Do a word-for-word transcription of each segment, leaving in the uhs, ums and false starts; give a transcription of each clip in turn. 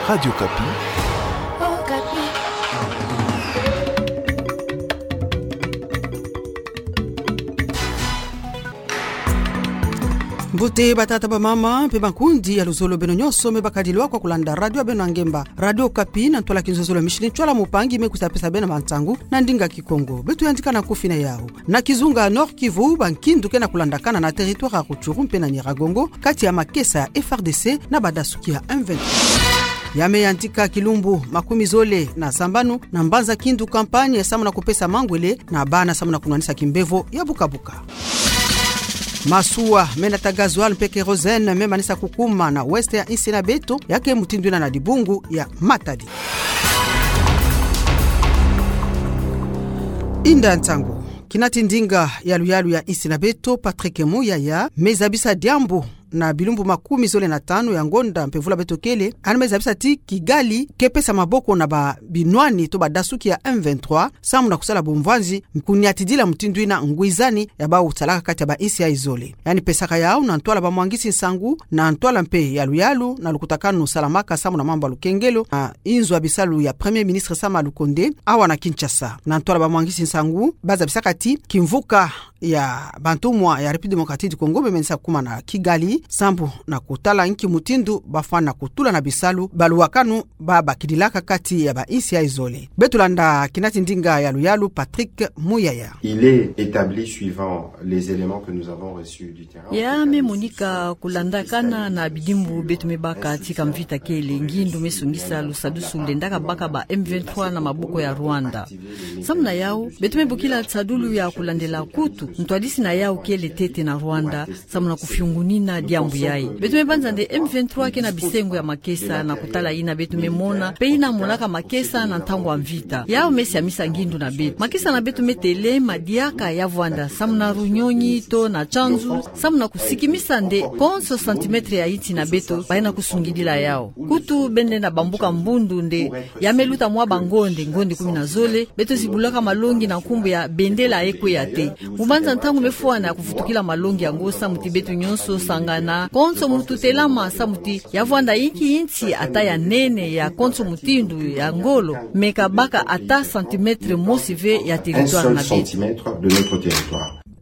Radio Okapi. Mbote batata, bamama, mpe bankundi ya luzolo, beno nyonso me bakadilwa kwa kulanda radio ya beno ya ngemba, Radio Okapi, na ntwala kinzozolo ya mishini ntwala mupangi me kwiza pesa beno mantangu na ndinga Kikongo. Beto yandika na nkufi na yawu. Na kizunga Nord-Kivu, bankindu ke na kulandakana na territoire ya Rutshuru mpe na Nyiragongo, kati ya makesa ya F A R D C na badasuki ya M vingt-trois. Ya me yandika kilumbu makumi zole na sambanu na mbanza Kindu Campagne, samu na kupesa mangwele na bana samu na kunwanisa kimbevo ya buka-buka. Masuwa me nata gasoil mpe kérosène me manisa kukuma na ouest ya insi na beto, ya ke mutindu yina na dibungu ya Matadi. Inda nsangu. Kinati ndinga ya luyalu ya insi na beto, Patrick Muyaya, me zabisa diambu na bilumbu makumi zole na tanu ya ngonda mpe vula beto kele, yandi me zabisa ti Kigali ke pesa maboko na babinwani to badasuki ya M vingt-trois, samu na kusala bumvwanzi, kuniatidila mutindu yina ngwizani ya bawu salaka kati ya bainsi yayi zole. Yandi pesaka yawu na ntwala bamwangisi nsangu, na ntwala mpe ya luyalu na lukutakanu salamaka samu na mambu ya lukengelo na inzo ya bisalu ya Premier Ministre Sama Lukonde, awa na Kinshasa. Na ntwala bamwangisi nsangu, ba zabisaka ti kimvuka ya bantumwa ya République Démocratique du Congo me menisa kuma na Kigali, sambu na kutala nki mutindu bafwana kutula na bisalu, baluwakanu babakidilaka kati ya bainsi yayi zole. Beto landa kinati ndinga ya luyalu, Patrick Muyaya. Il est établi, suivant les éléments que nous avons reçus du terrain, ya me monika kulandakana na bidimbu beto me baka tika mvita kele, ngindu me sungisa lusadusu lendaka baka ba M vingt-trois na maboko ya Rwanda. Samu na yawu, beto me bokila nsadulu ya kulandela, kutu ntwadisi na yawu kele ntete na Rwanda, samu na kufiungunina diambu yayi. Beto me banza nde M vingt-trois ke na bisengo ya makesa, na kutala yina beto me mona, mpe yina monaka makesa na ntangu ya mvita. Yawu me siamisa ngindu na beto. Makesa na beto me telema diaka ya vwanda, samu na Runyonyi to na Tshanzu, samu na kusikimisa nde konso centimètre ya insi na beto, bayina kusungidila yawu. Kutu bende na bambuka mbundu nde ya me luta mwa bangonde, ngonde kumi na zole, beto zibulaka malongi na nkumbu ya bendela ekwe ya te. Mu banza ntangu me fwana ya kuvutukila malongi yango, samu ti beto nyonso sangana, konso mutu telama, samu ti ya vwanda inki insi ata ya nene, ya konso mutindu, ya ngolo, me ka baka ata centimètre mosi ve ya territoire na beto.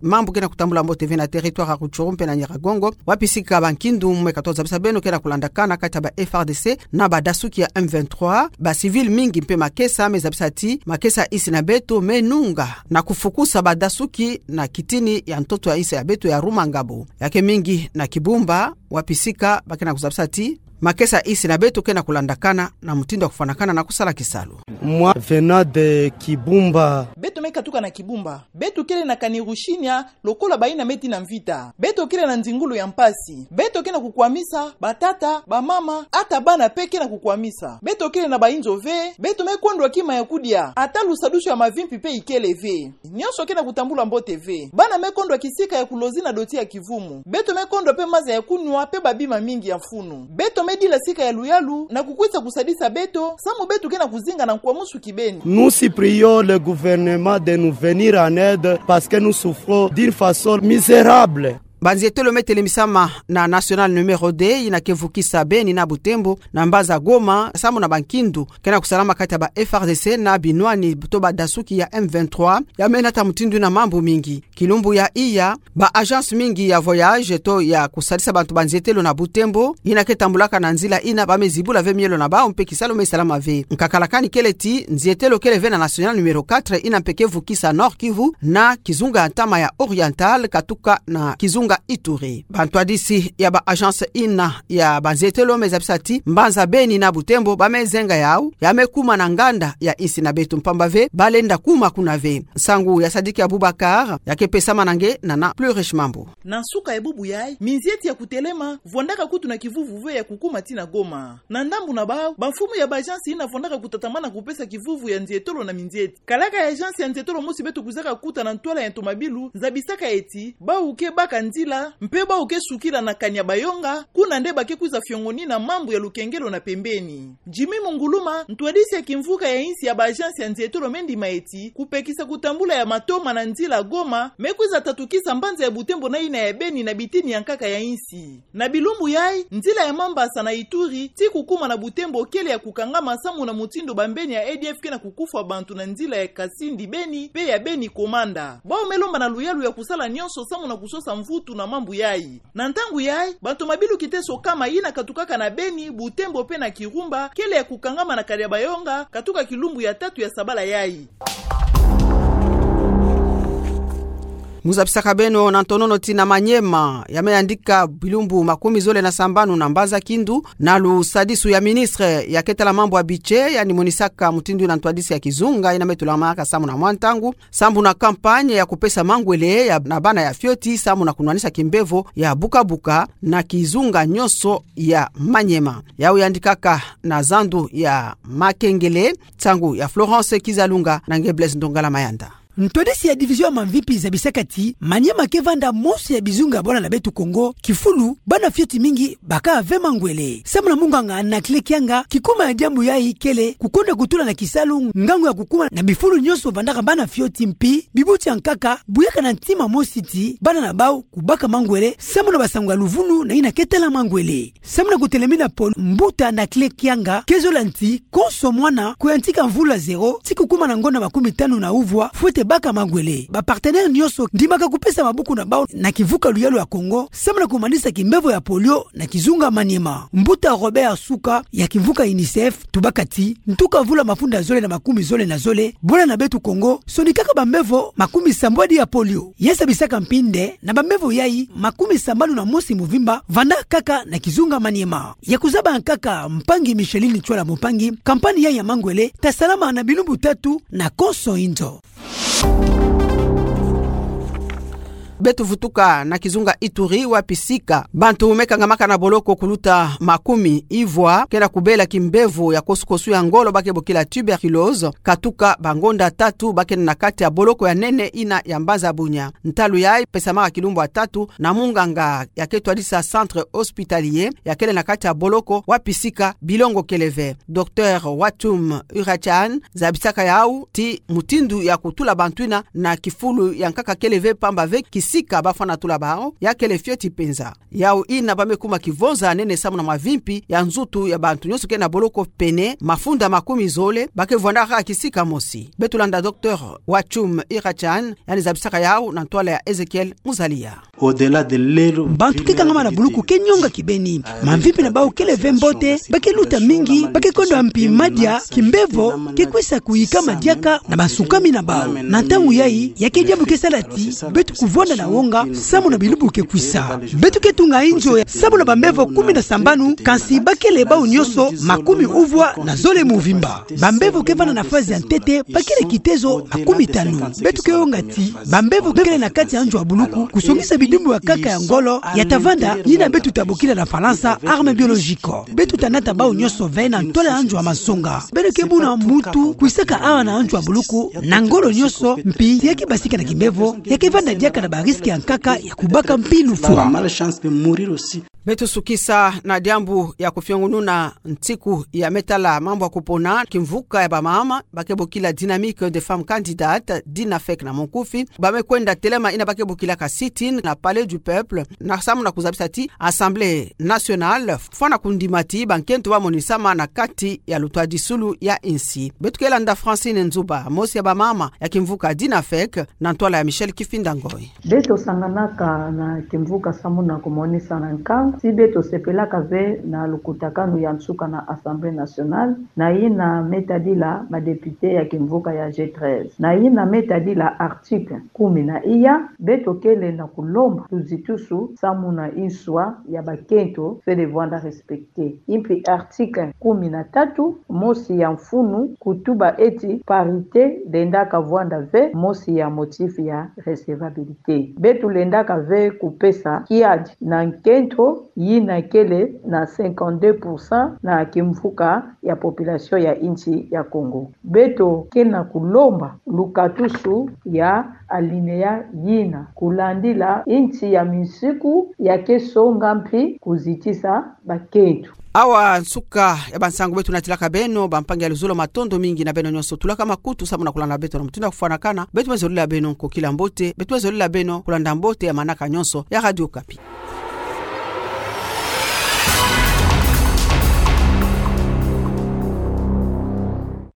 Mambu ke na kutambula mbote ve na territoire ya Rutshuru mpe na Nyiragongo, wapi sika bankindu me katuka zabisa beno ke na kulandakana kati ya ba F A R D C na badasuki ya M vingt-trois, ba civil mingi mpe makesa me zabisa ti makesa ya insi na beto me nunga na kufukusa badasuki na kitini ya ntoto ya insi ya beto ya Rumangabo. Ya ke mingi na Kibumba, wapi sika ba ke na kuzabisa ti makesa ya insi na beto ke na kulandakana na mutindu ya kufwanakana na kusala kisalu. Moi, venant de Kibumba. Beto me katuka na Kibumba. Beto kele na Kanyaruchinya, lokola bayina me tii na mvita. Beto kele na nzingulu ya mpasi. Beto ke na kukwamisa, batata, bamama, ata bana mpe ke na kukwamisa. Beto kele na bainzo ve, beto me kondwa kima ya kudia, ata lusadusu ya mavimpi mpe ikele ve. Nyonso ke na kutambula mbote ve. Bana me kondwa kisika ya kulozi na doti ya kivumu. Beto me kondwa mpe maza ya kunwa mpe babima mingi ya mfunu. Beto me dila sika ya luyalu na kukwisa kusadisa beto, samu beto ke na kuzinga na nkwamusu kibeni. Nous supplions le gouvernement de nous venir en aide parce que nous souffrons d'une façon misérable. Banzietelo me telemisama na nationale numéro deux, yina ke vukisa Beni na Butembo, na mbanza Goma, samu na bankindu ke na kusalama kati ya ba F A R D C na binwani to badasuki ya M vingt-trois, ya me nata mutindu na mambu mingi. Kilumbu ya iya, ba agence mingi ya voyage to ya kusadisa bantu banzietelo na Butembo, yina ke tambulaka na nzila yina, ba me zibula ve mielo na bawu mpe kisalu me salama ve. Nkakala kani kele ti nzietelo kele ve na nationale numéro quatre, yina mpe ke vukisa Nord-Kivu na kizunga ya ntama ya Oriental katuka na kizunga Ituri. Bantwadisi ya ba agence yina ya banzietelo me zabisa ti mbanza Beni na Butembo ba me zenga yawu, ya me kuma na nganda ya insi na beto, mpamba ve ba lenda kuma kuna ve. Nsangu ya Sadiki Abubakar, ya ke pesama na nge na na Plus Riche Mambu. Na nsuka ya bubu yayi, minzieti ya kutelema vwandaka kutu na kivuvu ve ya kukuma tii na Goma. Na ndambu na bawu, bamfumu ya ba agence yina vwandaka kutatamana kupesa kivuvu ya nzietolo na minzieti. Kalaka ya agence ya nzietolo mosi beto kwizaka kuta na ntwala ya ntomabilu zabisaka ti bawu ke baka nzi- sila, mpe bau ke sukila na Kanyabayonga, kuna nde ba ke kwiza fiongonina mambu ya lukengelo na pembeni. Jimmy Munguluma, ntwadisi ya kimvuka ya insi ya ba agence ya nzietolo Mendi Maeti, kupekisa kutambula ya matoma na nzila Goma, me kwiza tatukisa mbanza ya Butembo na yina ya Beni na bitini ya nkaka ya insi. Na bilumbu yai, nzila ya Mambasa na Ituri, ti kukuma na Butembo kele ya kukangama samu na mutindu bambeni ya A D F ke na kukufwa bantu na nzila ya Kasindi Beni, mpe ya Beni Komanda. Bau me lomba na luyalu ya kusala nyonso samu na kusosa mvutu na mambu yai. Na ntangu yai, bantu mabilu kiteso kama yina katukaka na Beni, Butembo mpe na Kirumba, kele ya kukangama na Kanyabayonga, katuka kilumbu ya tatu ya sabala yai. Mu zabisaka beno na ntonono ti na Maniema, ya me yandika bilumbu makumi zole na sambanu na mbanza Kindu, na lusadisu ya ministre ya ke tala mambu ya budget, yandi monisaka mutindu yina ntwadisi ya kizunga yina me tulamanaka samu na mwa ntangu, sambu na campagne ya kupesa mangwele ya, na bana ya fioti, samu na kunwanisa kimbevo ya buka-buka na kizunga nyonso ya Maniema. Yau yandikaka na zandu ya Makengele, nsangu ya Florence Kizalunga na nge Blaise Ndongala Mayanda. Ntwadisi ya division ya mamvipi zabisaka ti Maniema ke vanda mosi ya bizunga bwala na beto Kongo kifulu bana fioti mingi baka ve mangwele. Samu na munganga Anaclet Kianga, kikuma ya diambu yai kele kukonda kutula na kisalu ngangu ya kukuma na bifulu nyonso vandaka bana fioti mpi bibuti ya nkaka buyaka na ntima mosi ti bana na bau kubaka mangwele, samu na basangu ya luvunu na yina ke tala mangwele. Samu na kutelemina polio, mbuta Anaclet Kianga ke zola nti konso mwana kuyantika mvula zero ti kukuma na ngonda makumi tanu na uvwa fwete baka mangwele. Ba partenaire nyonso ndimaka kupesa mabuku na bau na kimvuka luyalu ya Kongo samu na kumanisa kimbevo ya polio na kizunga Maniema. Mbuta Robert Suka ya kimvuka UNICEF tubaka ti ntuka mvula mafunda zole na makumi zole na zole, bwala na beto Kongo sonikaka bambevo makumi sambwadi ya polio. Ya zabisaka mpi nde na bambevo yai makumi sambanu na mosi muvimba vanda kaka na kizunga Maniema. Ya kuzaba nkaka mpangi Micheline Tchwala Mumpangi, campagne yai ya mangwele ta salama na bilumbu tatu na konso inzo. Beto vutuka na kizunga Ituri, wapi sika bantu me kangamaka na boloko kuluta makumi ivwa ke na kubela kimbevo ya kosukosu ya ngolo ba ke bokila tuberculose, katuka bangonda tatu ba ke na kati ya boloko ya nene yina ya mbanza Bunia. Ntalu yai pesamaka kilumbu ya tatu na munganga ya ke twadisa centre hospitalier ya kele na kati ya boloko wapi sika bilongo kele ve. Docteur Watum Urachan zabisaka yau ti mutindu ya kutula bantu yina na kifulu ya nkaka kele ve, pamba ve kisika ba fwana tula bau ya kele fioti penza. Yau yina ba me kuma kivonza nene samu na mavimpi ya nzutu ya bantu nyonso ke na boloko pene mafunda makumi zole ba ke vwandaka kisika mosi. Beto landa Docteur Watum Urachan, yandi zabisaka yau na ntwala ya Ezekiel Muzalia. Bantu ke kangama na buluku ke nyonga kibeni. Mamvimpi na bau kele ve mbote, ba ke luta mingi, ba ke konda mpi madia, kimbevo ke kwisa kuyikama diaka na bansukami na bau. Na ntangu yai, ya ke diambu ke sala ti beto kuvwanda na wonga samu na bilumbu ke kwisa. Beto ke tunga inzo ya samu na bambevo kumi na sambanu, kansi ba kele bau nyonso makumi uvwa na zole muvimba. Bambevo ke vanda na phase ya ntete ba kele kitezo makumi tanu. Beto ke wonga ti bambevo kele na kati ya nzo ya buluku kusongisa bidimbu ya nkaka ya ngolo ya ta vanda, yina beto ta bokila na Falansa arme biologique. Beto ta nata bau nyonso ve na ntwala ya nzo ya mansonga. Beno ke mona muntu kwisaka awa na nzo ya buluku na ngolo nyonso, mpi ya ke basika na kimbevo ya ke vanda diaka na ba risque ya nkaka ya kubaka mpi lufwa. Beto sukisa na diambu ya kufiongununa nsiku ya me tala mambu ya kupona kimvuka ya bamama ba ke bokila Dynamique des femmes candidates, Dynafec na monkufi, ba me kwenda telema yina ba ke bokilaka sit-in na Palais du Peuple, na samu na kuzabisa ti Assemblée nationale fwana kundima ti bankento ba monisama na kati ya lutwadisulu ya insi. Beto ke landa Francine Nzuba, mosi ya bamama ya kimvuka Dynafec, na ntwala ya Michel Kifinda Ngoi. Beto sanganaka na kimvuka samu na kumonisa na nkangu ti beto sepelaka ve na lukutakanu ya nsuka na Assemblée nationale, na yina me tadila ba députés ya kimvuka ya G treize. Na yina me tadila article kumi na iya, beto kele na kulomba tuzitusu samu na inswa ya bankento fwete vwanda respecté. Mpi article kumi na tatu, mosi ya mfunu, kutuba ti parité lendaka vwanda ve mosi ya motif ya recevabilité. Beto lendaka ve kupesa kiadi na nkento yina kele na cinquante-deux pour cent na kimvuka ya population ya insi ya Kongo. Beto ke na kulomba lukatusu ya alinéa yina, kulandila insi ya minsiku ya ke songa mpi kuzitisa bakento. Awa nsuka ya bansangu beto natilaka beno, bampangi ya luzolo, matondo mingi na beno nyonso tulaka makutu samu na kulanda beto na mutindu ya kufwanakana. Beto me zolila beno nkokila mbote, beto me zolila beno kulanda mbote ya manaka nyonso ya Radio Okapi.